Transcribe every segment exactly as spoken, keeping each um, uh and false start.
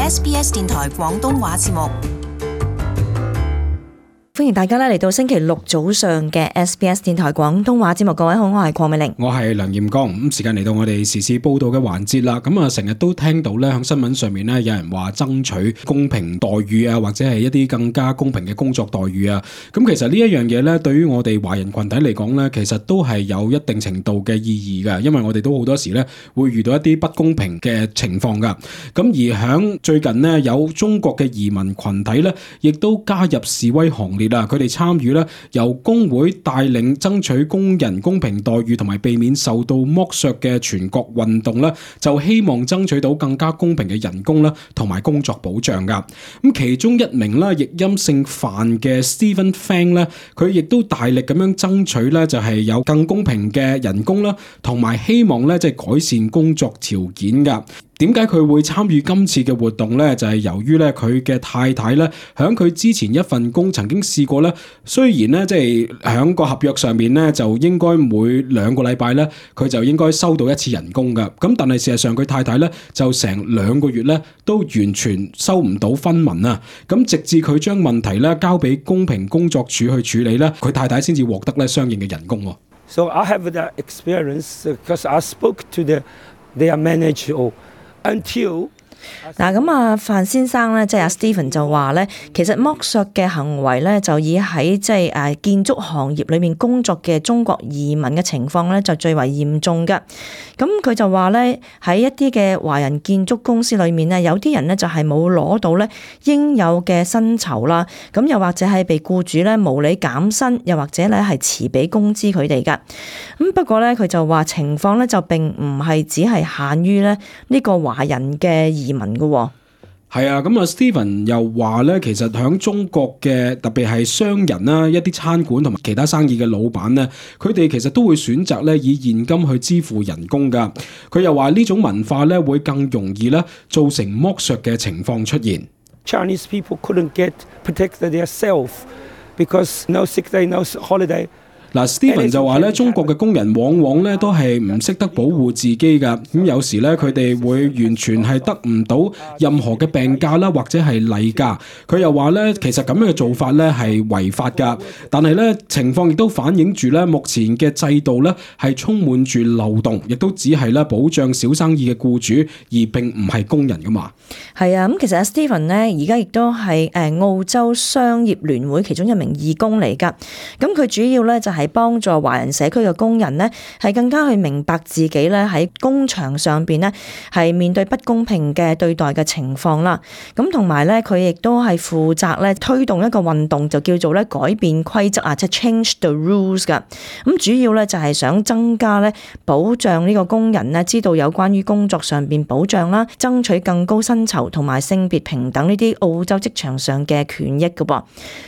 S B S 電台廣東話節目。歡迎大家咧嚟到星期六早上嘅 S B S 電台廣東話節目。各位好，我係鄺美玲，我係梁彥剛。咁時間嚟到我哋時事報道嘅環節啦。咁啊，成日都聽到咧，喺新聞上面咧，有人話爭取公平待遇啊，或者係一啲更加公平嘅工作待遇啊。咁其實呢一樣嘢咧，對於我哋華人群體嚟講咧，其實都係有一定程度嘅意義嘅，因為我哋都好多時咧會遇到一啲不公平嘅情況噶。咁而響最近呢，有中國嘅移民群體咧，亦都加入示威行列。佢哋參與咧，由工會帶領爭取工人公平待遇同埋避免受到剝削嘅全國運動咧，就希望爭取到更加公平嘅人工啦，同埋工作保障噶。咁其中一名咧，譯音姓范嘅 Stephen Fang 咧，佢亦都大力咁樣爭取咧，就係有更公平嘅人工啦，同埋希望咧，即係改善工作條件噶。點解佢會參與今次嘅活動呢？就係由於咧佢嘅太太咧，響佢之前一份工曾經試過咧，雖然咧即係響個合約上面咧就應該每兩個禮拜咧佢就應該收到一次人工噶，咁但係事實上佢太太咧就成兩個月咧都完全收唔到分文啊！咁直至佢將問題咧交俾公平工作處去處理咧，佢太太先至獲得咧相應嘅人工。So I have that experience because I spoke to the their manager. Until 嗱咁啊，范先生咧，即係阿 Stephen 就話咧，其實剝削嘅行為咧，就以喺即係誒建築行業裏面工作嘅中國移民嘅情況咧，就最為嚴重嘅。咁佢就話咧，喺一啲嘅華人建築公司裏面咧，有啲人咧就係冇攞到咧應有嘅薪酬啦，咁又或者係被僱主咧無理減薪，又或者咧係遲俾工資佢哋噶。咁不過咧，佢就話情況咧就並唔係只係限於咧呢個華人嘅移民嘅。係啊，咁啊 Stephen 又話咧，其實響中國嘅特別係商人啦，一啲餐館同埋其他生意嘅老闆咧，佢哋其實都會選擇咧以現金去支付人工噶。佢又話呢種文化咧會更容易咧造成剝削嘅情況出現。Chinese people couldn't get protected themselves because no sick day, no holiday. 嗱 Stephen 就話咧，中國嘅工人往往咧都係唔識得保護自己噶，咁有時咧佢哋會完全係得唔到任何嘅病假啦，或者係例假。佢又話咧，其實咁樣嘅做法咧係違法噶，但係咧情況亦都反映住咧目前嘅制度咧係充滿住漏洞，亦都只係咧保障小生意嘅僱主，而並唔係工人噶嘛。係啊，咁其實阿 Stephen 咧而家亦都係誒澳洲商業聯會其中一名義工嚟噶，咁佢主要咧就係幫助華人社區嘅工人呢，係更加去明白自己咧喺工場上邊呢係面對不公平嘅對待嘅情況啦。咁同埋咧，佢亦都係負責咧推動一個運動，就叫做咧改變規則啊，即係 change the rules 噶。咁主要咧就係想增加咧保障呢個工人呢，知道有關於工作上邊保障啦，爭取更高薪酬同埋性別平等呢啲澳洲職場上嘅權益嘅噃。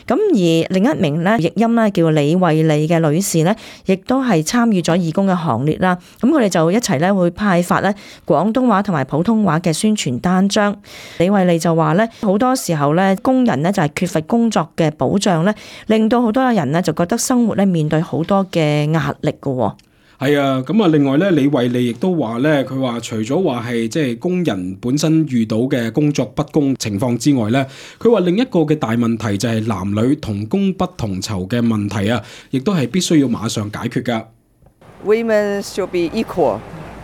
咁而另一名咧譯音咧叫李慧利嘅女士咧，亦都係參與咗義工嘅行列啦。咁佢哋就一齊咧會派發咧廣東話同埋普通話嘅宣傳單張。李慧利就話咧，好多時候咧工人咧就係缺乏工作嘅保障咧，令到好多人咧就覺得生活咧面對好多嘅壓力嘅。係啊，咁啊，另外咧，李慧利亦都話咧，佢話除咗話係即係工人本身遇到嘅工作不公情況之外咧，佢話另一個嘅大問題就係男女同工不同酬嘅問題啊，亦都係必須要馬上解決噶。Women should be equal.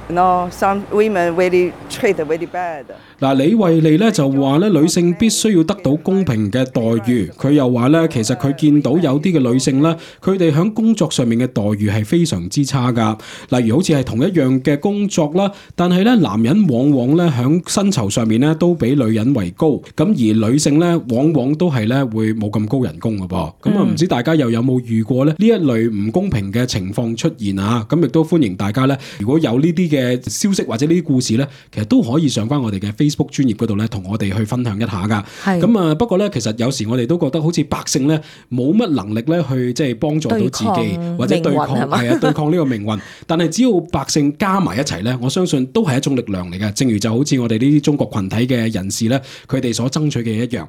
No, some women really treat very bad. 嗱，李慧利咧就話咧，女性必須要得到公平嘅待遇。佢又話咧，其實佢見到有啲嘅女性咧，佢哋喺工作上面嘅待遇係非常之差噶。例如好似係同一樣嘅工作啦，但係咧男人往往咧喺薪酬上面咧都比女人為高，咁而女性咧往往都係咧會冇咁高人工噶噃。咁啊唔知大家又有冇遇過咧呢一類唔公平嘅情況出現啊？咁亦都歡迎大家咧，如果有呢啲嘅消息或者呢啲故事咧，其實都可以上翻我哋嘅 Facebook 專頁嗰度咧，同我哋去分享一下噶。咁啊，不過咧，其實有時我哋都覺得好似百姓咧冇乜能力咧去即係幫助到自己或者對抗係啊對抗呢個命運。但係只要百姓加埋一齊咧，我相信都係一種力量嚟嘅。正如就好似我哋呢啲中國群體嘅人士咧，佢哋所爭取嘅一樣。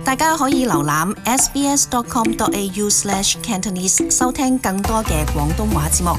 大家可以瀏覽 s b s dot com dot a u slash cantonese 收聽更多嘅廣東話節目。